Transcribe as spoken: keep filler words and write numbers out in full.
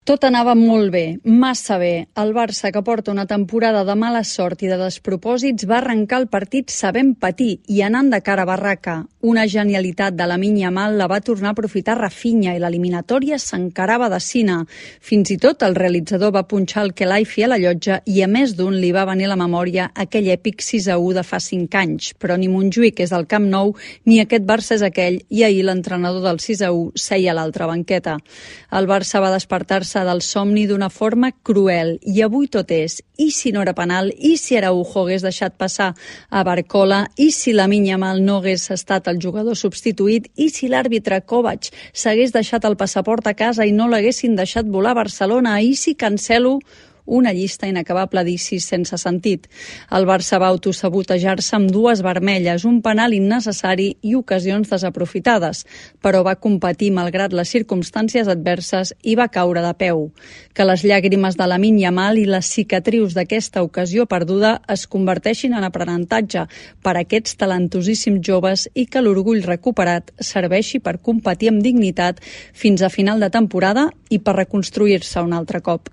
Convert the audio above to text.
Tot anava molt bé, massa bé. El Barça, que porta una temporada de mala sort i de despropòsits, va arrencar el partit sabent patir i anant de cara a barraca. Una genialitat de Lamine Yamal la va tornar a aprofitar Rafinha i l'eliminatòria s'encarava de cine. Fins i tot el realitzador va punxar el Khelaifi a la llotja i a més d'un li va venir a la memòria aquell èpic sis a u de fa cinc anys. Però ni Montjuïc és el Camp Nou ni aquest Barça és aquell i ahir l'entrenador del sis a u seia a l'altra banqueta. El Barça va despertar-se del somni d'una forma cruel i avui tot és, i si no era penal, i si Araujo hagués deixat passar a Barcola, i si Lamine Yamal no hagués estat el jugador substituït, i si l'àrbitre Kovac s'hagués deixat el passaport a casa i no l'haguessin deixat volar a Barcelona, i si Cancelo... Una llista inacabable d'icis sense sentit. El Barça va autosabotejar-se amb dues vermelles, un penal innecessari i ocasions desaprofitades, però va competir malgrat les circumstàncies adverses i va caure de peu. Que les llàgrimes de Lamine Yamal i les cicatrius d'aquesta ocasió perduda es converteixin en aprenentatge per a aquests talentosíssims joves i que l'orgull recuperat serveixi per competir amb dignitat fins a final de temporada i per reconstruir-se un altre cop.